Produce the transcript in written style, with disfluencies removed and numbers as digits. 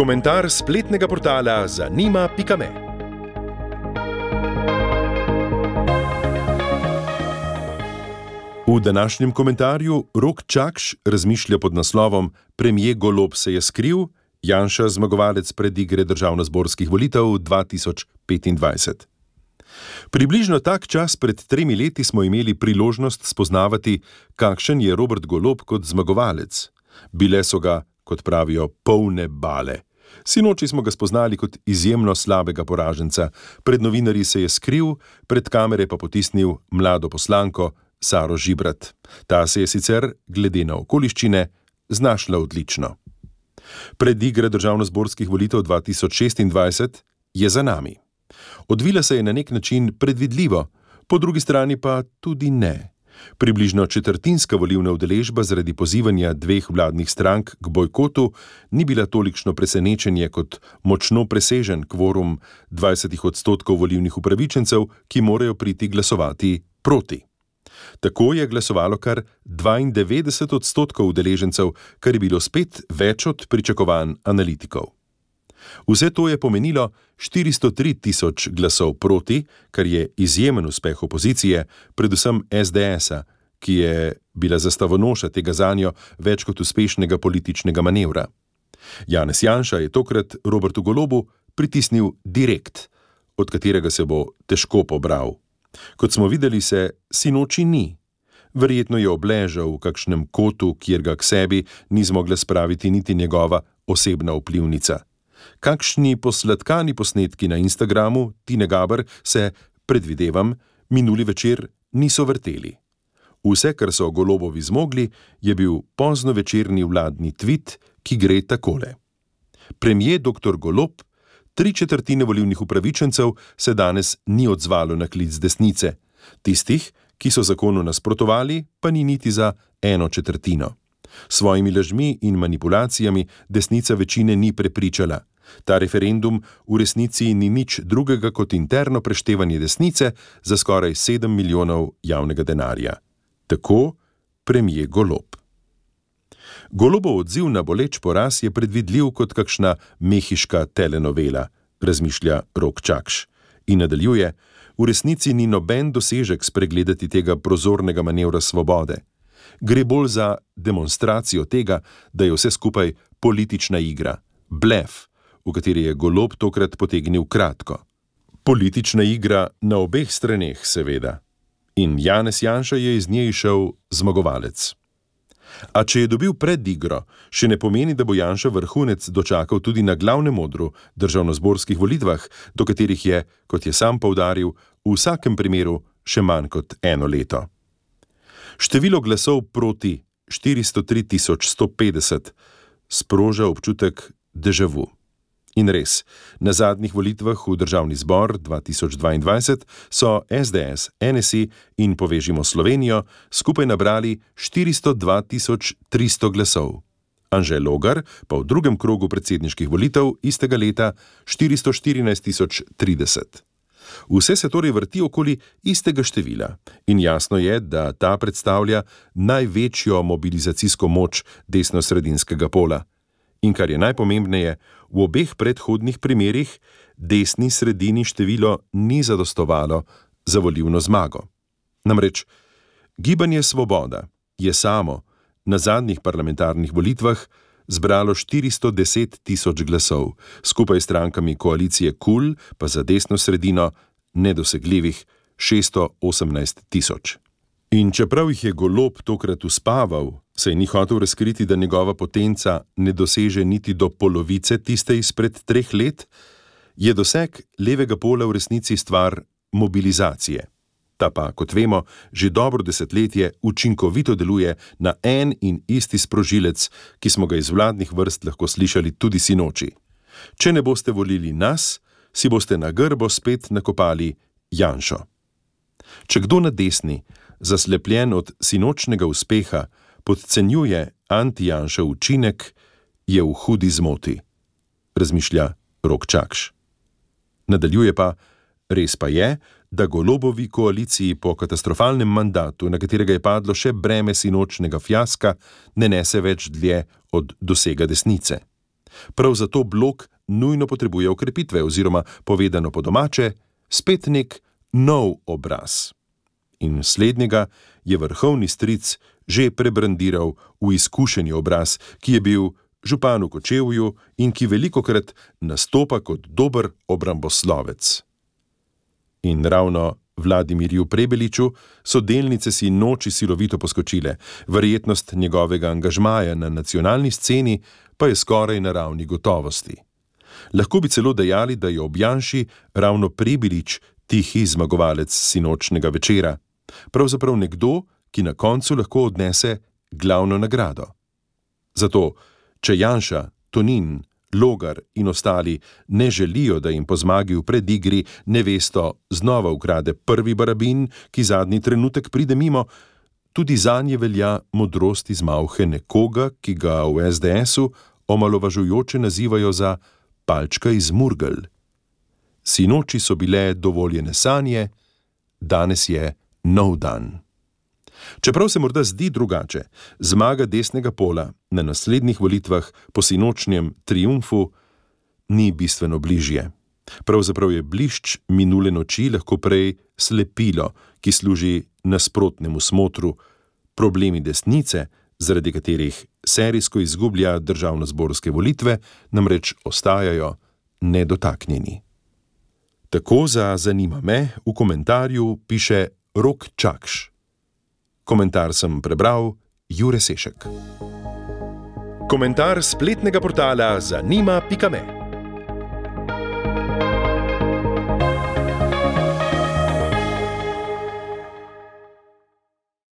Komentar spletnega portala zanima.me. V današnjem komentarju Rok Čakš razmišlja pod naslovom Premier Golob se je skril, Janša zmagovalec predigre državnozborskih volitev 2025. Približno tak čas pred 3 leti smo imeli priložnost spoznavati, kakšen je Robert Golob kot zmagovalec. Bile so ga, kot pravijo, polne bale. Sinoči smo ga spoznali kot izjemno slabega poraženca. Pred novinarji se je skril, pred kamere pa potisnil mlado poslanko Saro Žibrat. Ta se je sicer, glede na okoliščine, znašla odlično. Predigre državnozborskih volitev 2026 je za nami. Odvila se je na nek način predvidljivo, po drugi strani pa tudi ne. Približno četrtinska volilna udeležba zaradi pozivanja 2 vladnih strank k bojkotu ni bila tolikšno presenečenje kot močno presežen kvorum 20% volilnih upravičencev, ki morajo priti glasovati proti. Tako je glasovalo kar 92% udeležencev, kar je bilo spet več od pričakovanj analitikov. Vse to je pomenilo 403 tisoč glasov proti, kar je izjemen uspeh opozicije, predvsem SDS-a, ki je bila zastavonoša tega zanjo več kot uspešnega političnega manevra. Janez Janša je tokrat Robertu Golobu pritisnil direkt, od katerega se bo težko pobral. Kot smo videli, se sinoči ni. Verjetno je obležal v kakšnem kotu, kjer ga k sebi ni zmogla spraviti niti njegova osebna vplivnica. Kakšni posladkani posnetki na Instagramu Tine Gaber se, predvidevam, minuli večer niso vrteli. Vse, kar so Golobovi zmogli, je bil pozno večerni vladni tvit, ki gre takole. Premier dr. Golob, 3/4 volilnih upravičencev se danes ni odzvalo na klic desnice. Tistih, ki so zakonu nasprotovali, pa ni niti za 1/4. Svojimi lažmi in manipulacijami desnica večine ni prepričala. Ta referendum v resnici ni nič drugega kot interno preštevanje desnice za skoraj 7 milijonov javnega denarja. Tako premier Golob. Golobov odziv na boleč poraz je predvidljiv kot kakšna mehiška telenovela, razmišlja Rok Čakš. In nadaljuje, v resnici ni noben dosežek spregledati tega prozornega manevra svobode. Gre bolj za demonstracijo tega, da je vse skupaj politična igra, blef, v kateri je Golob tokrat potegnil kratko. Politična igra na obeh straneh, seveda. In Janez Janša je iz nje šel zmagovalec. A če je dobil predigro, še ne pomeni, da bo Janša vrhunec dočakal tudi na glavnem odru državnozborskih volitvah, do katerih je, kot je sam poudaril, v vsakem primeru še manj kot 1 leto. Število glasov proti 403 150 sproža občutek déjà vu. In res, na zadnjih volitvah v državni zbor 2022 so SDS, NSI in Povežimo Slovenijo skupaj nabrali 402 300 glasov. Anže Logar pa v drugem krogu predsedniških volitev istega leta 414 030. Vse se torej vrti okoli istega števila in jasno je, da ta predstavlja največjo mobilizacijsko moč desno-sredinskega pola. In kar je najpomembneje, v obeh predhodnih primerih desni sredini število ni zadostovalo za volilno zmago. Namreč, Gibanje Svoboda je samo na zadnjih parlamentarnih volitvah zbralo 410 000 glasov, skupaj s strankami koalicije KUL pa za desno sredino nedosegljivih 618 000. In čeprav jih je Golob tokrat uspaval, saj ni hotel razkriti, da njegova potenca ne doseže niti do polovice tiste izpred 3 let, je doseg levega pola v resnici stvar mobilizacije. Ta pa, kot vemo, že dobro desetletje učinkovito deluje na en in isti sprožilec, ki smo ga iz vladnih vrst lahko slišali tudi sinoči. Če ne boste volili nas, si boste na grbo spet nakopali Janšo. Če kdo na desni, zaslepljen od sinočnega uspeha, podcenjuje anti-Janšev učinek, je v hudi zmoti, razmišlja Rok Čakš. Nadaljuje pa, res pa je, da Golobovi koaliciji po katastrofalnem mandatu, na katerega je padlo še breme sinočnega fiaska, ne nese več dlje od dosega desnice. Prav zato blok nujno potrebuje okrepitve oziroma, povedano po domače, spet nek nov obraz. In slednjega je vrhovni stric že prebrandiral v izkušeni obraz, ki je bil župan v Kočevju in ki velikokrat nastopa kot dober obramboslovec. In ravno Vladimirju Prebeliču so delnice si noči silovito poskočile, verjetnost njegovega angažmaja na nacionalni sceni pa je skoraj na ravni gotovosti. Lahko bi celo dejali, da je ob Janši ravno Prebelič tihi zmagovalec sinočnega večera, pravzaprav nekdo, ki na koncu lahko odnese glavno nagrado. Zato, če Janša, Tonin, Logar in ostali ne želijo, da jim po zmagi v predigri nevesto znova ukrade prvi barabin, ki zadnji trenutek pride mimo, tudi zanje velja modrost iz malhe nekoga, ki ga v SDS-u omalovažujoče nazivajo za palčka iz Murgel. Sinoči so bile dovoljene sanje, danes je nov dan. Čeprav se morda zdi drugače, zmaga desnega pola na naslednjih volitvah po sinočnjem triumfu ni bistveno bližje. Pravzaprav je blišč minule noči lahko prej slepilo, ki služi nasprotnemu smotru. Problemi desnice, zaradi katerih serijsko izgublja državnozborske volitve, namreč ostajajo nedotaknjeni. Tako za Zanima me v komentarju piše Rok Čakš. Komentar sem prebral Jure Sešek. Komentar spletnega portala zanima.me